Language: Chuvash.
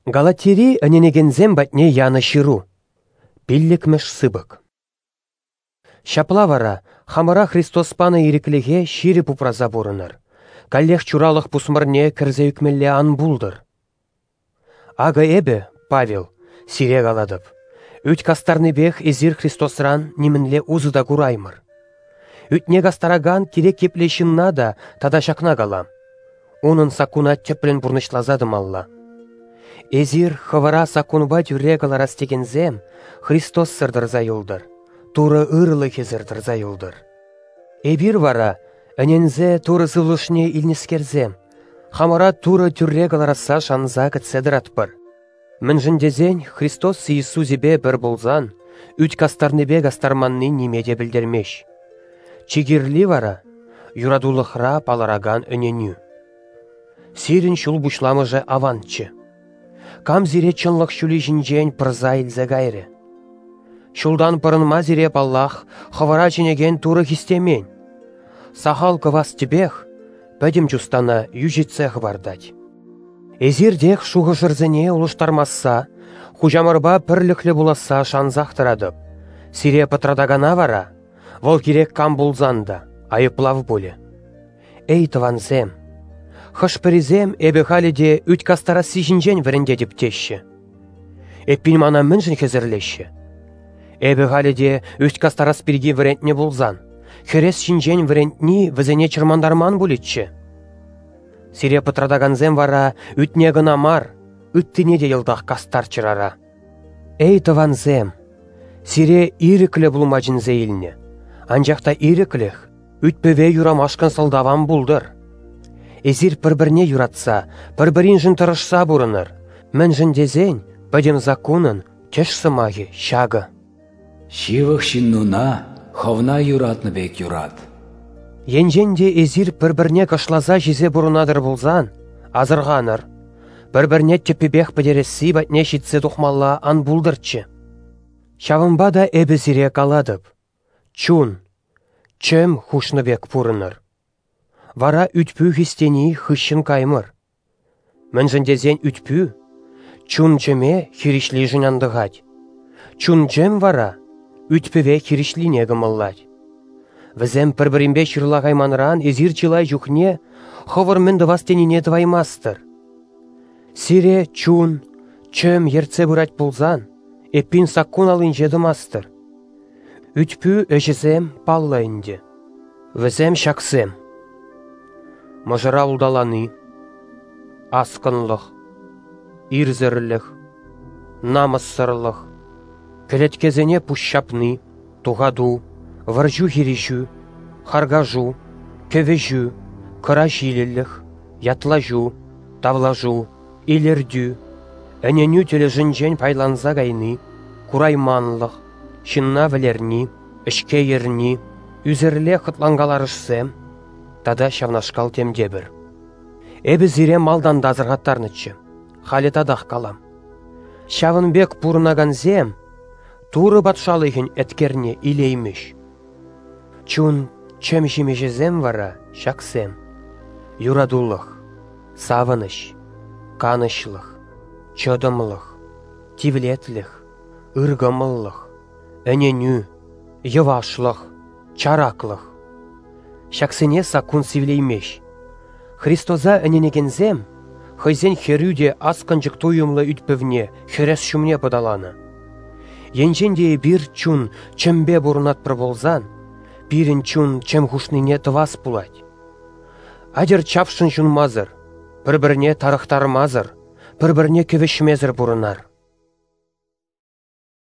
Галатири ӗненекенсем патне янӑ ҫыру. Пиллӗкмӗш сыпӑк. Ҫапла вара, хамӑра Христос панӑ ирӗклӗхе ҫирӗп упраса пурӑнӑр, каллех чуралӑх пусмӑрне кӗрсе ӳкмелле ан пултӑр. Акӑ эпӗ, Павел, сире калатӑп: ӳт кастарнипех эсир Христосран нимӗнле усӑ та кураймӑр. Ӳтне кастаракан кирек епле ҫынна та тата ҫакна калам: унӑн саккуна тӗплӗн пурнӑҫласа тӑмалла. Эсир хӑвӑра саккунпа тӳрре кӑларас текенсем Христоссӑр тӑрса юлтӑр, Турӑ ырӑлӑхӗсӗр тӑрса юлтӑр. Эпир вара, ӗненсе Турӑ Сывлӑшне илнӗскерсем, хамӑра Турӑ тӳрре кӑларасса шанса кӗтсе тӑратпӑр. Мӗншӗн тесен Христос Иисусӗпе пӗр пулсан ӳт кастарнипе кастарманни ниме те пӗлтермест. Чи кирли вара — юратулӑхра палӑракан ӗненӳ. Сирӗн ҫул пуҫламӑшӗ аванччӗ. Кам сире чӑнлӑх ҫулӗ ҫинчен пӑрса илсе кайрӗ? Ҫултан пӑрӑнма сире, паллах, хӑвӑра чӗнекен Турӑ хистемен. Сахал кӑвас тӗпех пӗтӗм чустана йӳҫӗтсе хӑпартать. Эсир тек шухӑшӑрсене улӑштармасса, хуҫамӑрпа пӗрлӗхлӗ пуласса шансах тӑратӑп. Сире пӑтратакана вара, вӑл кирек кам пулсан та, айӑплав пулӗ. Эй, тӑвансем! Хӑш-пӗрисем эпӗ халӗ те ӳт кастарасси ҫинчен вӗрентетӗп теҫҫӗ. Эппин мана мӗншӗн хӗсӗрлеҫҫӗ? Эпӗ халӗ те ӳт кастарас пирки вӗрентнӗ пулсан, хӗрес ҫинчен вӗрентни вӗсене чӑрмантарман пулӗччӗ. Сире пӑтратакансем вара ӳтне кӑна мар, ыттине те йӑлтах кастарччӑр ара. Эй, тӑвансем! Сире ирӗклӗ пулма чӗнсе илнӗ, анчах та ирӗклӗх ӳт-пӗве юрамашкӑн сӑлтав ан пултӑр. Эсир пӗр-пӗрне юратса, пӗр-пӗриншӗн тӑрӑшса пурӑнӑр, мӗншӗн тесен пӗтӗм саккунӑн тӗш сӑмахӗ ҫакӑ. Ҫывӑх ҫыннуна хӑвна юратнӑ пек юрат. Енчен те эсир пӗр-пӗрне кӑшласа ҫисе пурӑнатӑр пулсан, асӑрханӑр, пӗр-пӗрне тӗппипех пӗтересси патне ҫитсе тухмалла ан пултӑрччӗ. Ҫавӑнпа та эпӗ сире калатӑп: чун, чӗм хушнӑ пек пурӑнӑр. Вара ӳт-пӳ хистени хыҫҫӑн каймӑр. Мӗншӗн тесен ӳт-пӳ чун-чӗме хирӗҫлишӗн антӑхать. Чун-чӗм вара ӳт-пӗве хирӗҫлине кӑмӑллать. Вӗсем пӗр-пӗринпе ҫырлахайманран эсир чылай чухне хӑвӑр мӗн тӑвас тенине тӑваймастӑр. Сире чун, чӗм ертсе пырать пулсан, эппин саккун аллинче тӑмастӑр. Ӳт-пӳ ӗҫӗсем паллӑ ӗнтӗ. Вӗсем ҫаксем: мӑшӑра улталани, аскӑнлӑх, ирсӗрлӗх, намӑссӑрлӑх, кӗлеткесене пуҫҫапни, тухату, вӑрҫу-хирӗҫӳ, харкашу, кӗвӗҫӳ, кӑра ҫилӗлӗх, ятлаҫу, тавлашу, илӗртӳ, ӗненӳ тӗлӗшӗнчен пайланса кайни, курайманлӑх, ҫынна вӗлерни, ӗҫке ерни, ӳсӗрле хӑтланкаларӑшсем тата ҫавнашкал темтепӗр. Эпӗ сире малтан та асӑрхаттарнӑччӗ, халӗ татах калам. Ҫавӑн пек пурӑнакансем Турӑ патшалӑхӗн еткерне илеймӗҫ. Чун чӗм ҫимӗҫӗсем вара ҫаксем: юратулӑх, савӑнӑҫ, канӑҫлӑх, чӑтӑмлӑх, тивлетлӗх, ыркӑмӑллӑх, ӗненӳ, йӑвашлӑх, чараклӑх. Ҫаксене саккун сивлеймест. Христоса ӗненекенсем хӑйсен хӗрӳ те аскӑнчӑк туйӑмлӑ ӳт-пӗвне хӗрес ҫумне пӑталанӑ. Енчен те эпир чун чӗмпе пурӑнатпӑр пулсан, пирӗн чун чӗм хушнине тӑвас пулать. Атьӑр чапшӑн ҫунмасӑр, пӗр-пӗрне тарӑхтармасӑр, пӗр-пӗрне кӗвӗҫмесӗр пурӑнар.